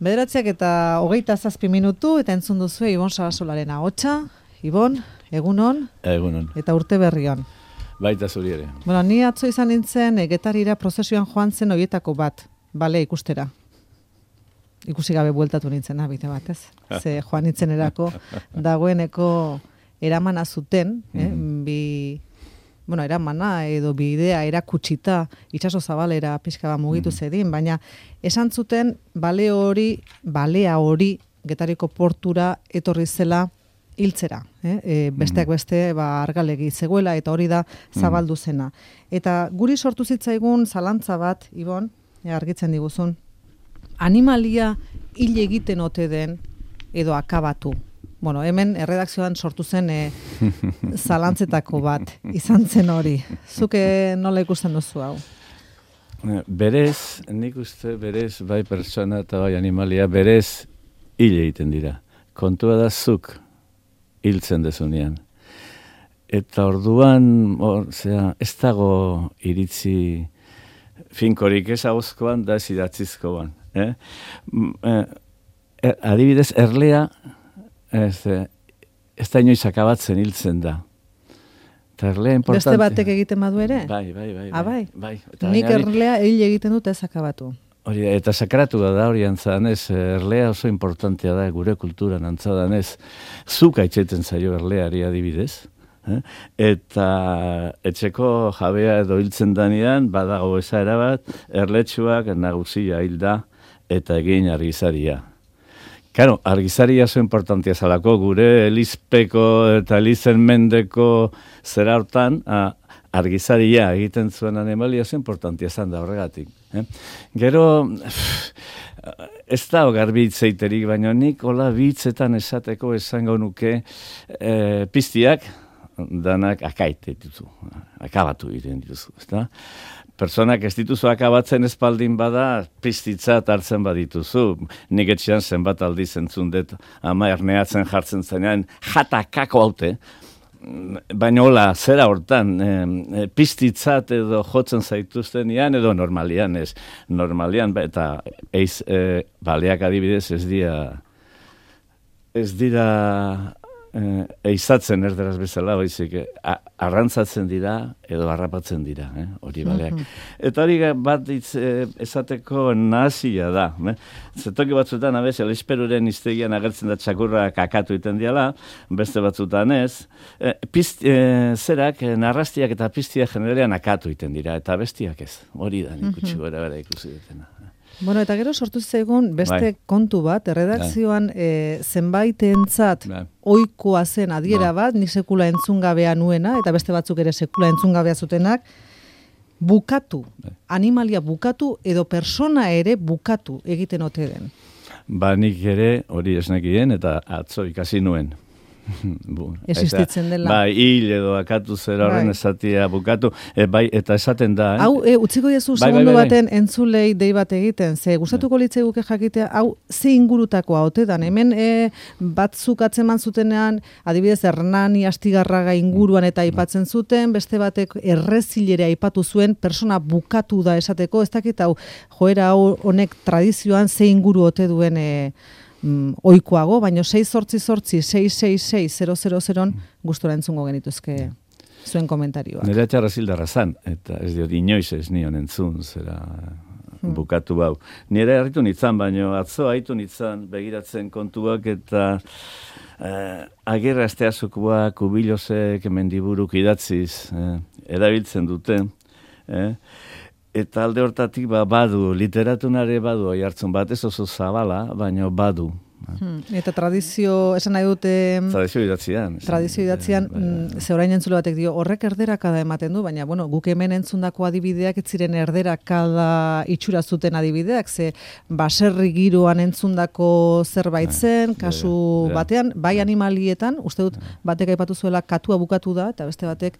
9:27 eta entzun duzu Ibon Sarasolaren ahotsa. Ibon, egunon. Egunon. Eta urte berrion. Baita zuri ere. Bueno, ni atzo izan nintzen Getarira prozesioan joan zen horietako bat, bale ikustera. Ikusi gabe bueltatu nintzen, bide bat, ez? Ze joan nintzen erako dagoeneko eramana zuten, eramana edo bidea erakutsita itsaso zabalera pixka bat mugitu zedin, baina esan zuten balea hori Getariko portura etorri zela hiltzera, besteak beste argalegi zegoela eta hori da zabaldu zena. Eta guri sortu zitzaigun zalantza bat, Ibon, argitzen diguzun, animalia hil egiten ote den edo akabatu. Bueno, hemen erredakzioan sortu zen zalantzetako bat, izan zen hori. Zuke nola ikusten duzu hau? Berez, nik uste berez, bai pertsona eta bai animalia, berez hil egiten dira. Kontua da zuk hiltzen dezunean. Eta orduan, ez dago iritzi finkorik ez ahozkoan da ez idatzizkoan. Adibidez, erlea ez da inoiz akabatzen hiltzen da. Eta erlea importante. Beste batek egiten badu ere? Bai. Bai. Nik erlea hil egiten dut ez akabatu. Hori, eta sakratu da hori antzadan ez, erlea oso importantea da gure kulturan antzadan ez. Zuk aitzeten zaio erleari adibidez. Eta etxeko jabea edo hiltzen danean, badago esaera bat, erletxuak nagusia hilda eta egin argizaria. Claro, argizaria oso importantia zalako, gure elizpeko eta elizen mendeko zera hortan, argizaria egiten zuen animalia oso importantia zan da horregatik. Gero, ez da garbi hitzeiterik, baina nik hola hitzetan esateko esango nuke piztiak danak akabatu egiten dituzu, ezta? Personak ez dituzu akabatzen espaldin bada, piztitzat hartzen badituzu. Nik etxean zenbat aldiz entzun dut, ama erneatzen jartzen zenean, jatakako haute, baina hola, zera hortan, piztitzat edo jotzen zaituztenean, edo normalian ez. Normalian, eta baleak adibidez ez dira eizatzen erderaz bezala, baizik, arrantzatzen dira edo harrapatzen dira, hori baleak. Eta hori bat esateko nahazia da. Zetoki batzutan, elesperuren iztegian agertzen da txakurra kakatu iten diala, beste batzutan ez. Zerak, narrastiak eta piztiak generalean akatu iten dira, eta bestiak ez. Hori da, nik utxi gora bera ikusi dutena. Bueno, eta gero sortu zaigun beste kontu bat, erredakzioan zenbaitentzat ohikoa zen adiera bat, nik sekula entzungabea nuena, eta beste batzuk ere sekula entzungabea zutenak, bukatu, animalia bukatu edo persona ere bukatu egiten ote den. Nik ere hori esnekien eta atzo ikasi nuen. Existitzen dela. Bai, hil edo akatu zera horren esatia bukatu, eta esaten da. Hau, utziko jezu segundu baten entzulei dei bat egiten, ze gustatuko litzaiguke jakitea, hau ze ingurutakoa ote dan, hemen batzuk atzeman zutenean, adibidez Hernani Astigarraga inguruan eta aipatzen zuten, beste batek errezilere aipatu zuen, persona bukatu da esateko, ez dakit hau, joera honek tradizioan ze inguru ote duen oikoago, baina 688-666-000 gustora entzungo genituzke zuen komentarioa. Nire atxarra zildarra zan, eta ez diot inoiz ez nion entzun, zera bukatu bau. Nire harritu nitzan, baina atzo haitu nitzan begiratzen kontuak, eta agirra esteazukoak, kubilosek, mendiburuk idatziz, erabiltzen dute, eta alde hortatik badu, literatunare badu oihartzun bat, ez oso zabala, baina badu. Eta tradizio, esan nahi dute... Tradizio idatzian. Ze orain entzule batek dio, horrek erderakada ematen du, baina, guk hemen entzundako adibideak ez ziren erderakada itxura zuten adibideak, ze baserri giroan entzundako zerbait zen, kasu batean, bai animalietan, uste dut, batek aipatu zuela katua bukatu da, eta beste batek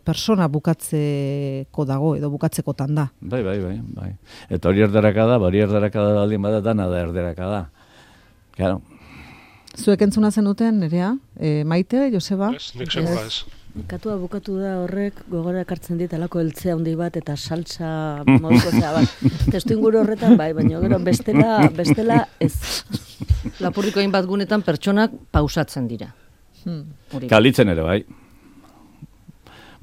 persona bukatzeko dago, edo bukatzekotan da. Bai. Eta hori erderakada baldin bada, dana da erderakada. Claro. Zuek entzuna zenuten, Nerea? Maite, Joseba? Ez, nik sekula ez. Katua bukatu da horrek, gogora ekartzen dit alako eltzea handi bat eta salsa moduko zea bat. Testu inguru horretan bai, baina gero bestela ez. Lapurdiko hainbat gunetan pertsonak pausatzen dira. Kalitzen ere, bai.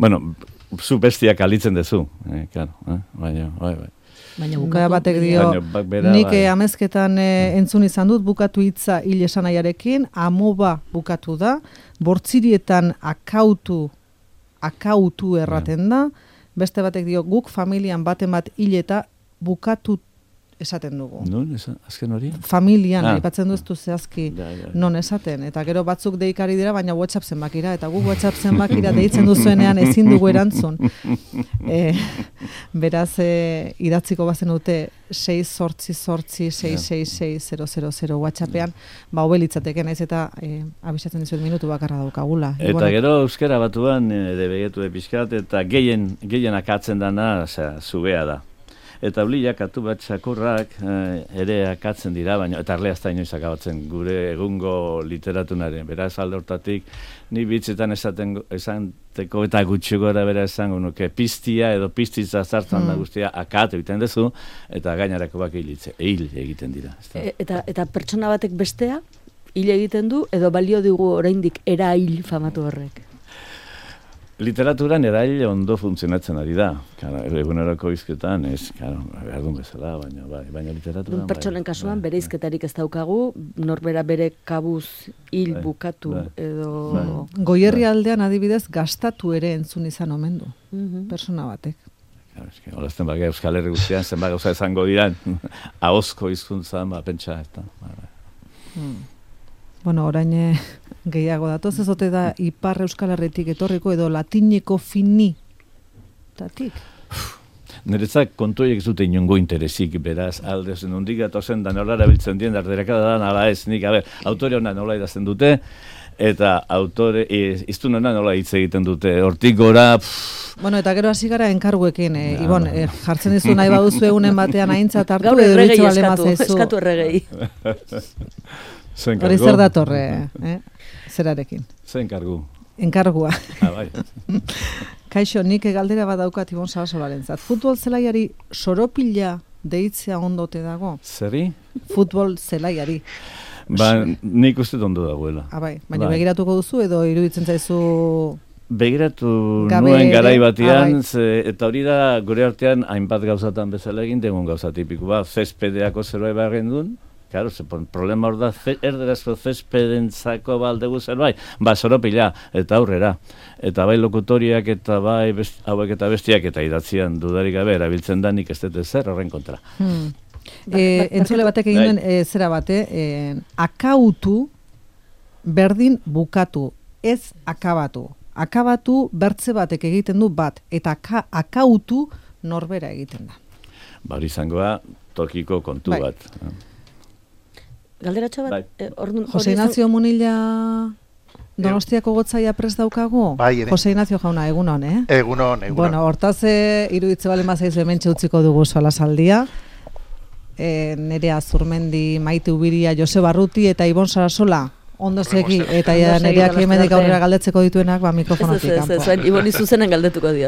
Bueno, zu bestia kalitzen dezu. Claro, bai. Baina bukaera batek dio, nik amezketan entzun izan dut, bukatu hitza hil esanaiarekin, amoba bukatu da, bortzirietan akautu erraten da, beste batek dio, guk familian baten bat hil eta bukatu esaten dugu. Non, azken hori? Familian, aipatzen duztu zehazki non esaten. Eta gero batzuk deikari dira, baina WhatsApp zenbakira. Eta guk WhatsApp zenbakira deitzen duzuenean ezin dugu erantzun. Beraz, idatziko bazen dute 688-666-000 WhatsAppean, hobelitzateke naiz eta abisatzen dizuet minutu bakarra daukagula. Eta gero euskara batuan, begetu pixkat, eta gehien akatzen dana, zubea da. Eta bliak, atu bat txakurrak ere akatzen dira, baina eta arleazta inoiz akabatzen gure egungo literatunaren. Beraz alde hortatik, ni bitzetan esanteko eta gutxi gora bera esango nuke piztia edo piztitza zartzen da guztia akatu egiten duzu, eta gainarako bak hil egiten dira. Eta pertsona batek bestea hil egiten du, edo balio dugu oraindik era hil famatu horrek? Literaturan erail ondo funtzionatzen ari da. Eguneroko hizketan, behar duen bezala, baina literaturan... Pertsonen kasuan, bere hizketarik ez daukagu, norbera bere kabuz hil bukatu edo... Goierri aldean adibidez, gastatu ere entzun izan omen du, persona batek. Olazten baga Euskal Herri guztian, zenbat gauza esango diran, ahozko hizkuntzan, pentsa, eta... Bueno, orain gehiago datoz, ez ote da Ipar Euskal Herritik etorriko edo latineko fini tatik? Niretzak kontuiek zute inongo interesik, beraz, aldez, nondik gatozen da nola erabiltzen dien, darderakada da, nala ez, nik, autore hona nola idazten dute, eta autore, iztun hona nola hitz egiten dute, hortik gora... Bueno, eta gero hasi gara enkarguekin, Ibon, jartzen dizu nahi baduzu egunen batean aintzat hartu, gaur erregei eskatu erregei. Hori zer datorre, zerarekin? Zer enkargu? Enkargua. Bai. Kaixo, nik galdera bat daukat Ibon Sarasolarentzat. Futbol zelaiari soropila deitzea ondote dago? Zeri? Futbol zelaiari. Nik uste ondo dagoela. Baina begiratuko duzu edo iruditzen zaizu... Begiratu nuen garai batian, eta hori da gure artean hainbat gauzatan bezala egin degun gauza tipiko bat, zespedeako zeroa ebarren duen. Claro, problema hor da, erderazko zespedentzako baldegu zerbait, soropila, eta aurrera. Eta bai lokutoriak eta bai hauek eta bestiak eta idatzian dudarik gabe erabiltzen da nik ez dut zer horren kontra. Entzule batek egin duen zera bate, akautu berdin bukatu, ez akabatu. Akabatu bertze batek egiten du bat, eta akautu norbera egiten da. Hori izangoa tokiko kontu bat. Galderatxo bat? Jose Ignacio Munilla Donostiako gotzaia prest daukagu? Jose Ignacio jauna, egunon, Egunon. Bueno, hortaz iruditze balen bazaizu hementxe utziko dugu solasaldia. Nerea Zurmendi, Maite Ubiria, Jose Barruti eta Ibon Sarasola. Ondo segi, eta nereak hemendik aurrera galdetzeko dituenak, mikrofonotik. Ez, Iboni zuzenen galdetuko diot.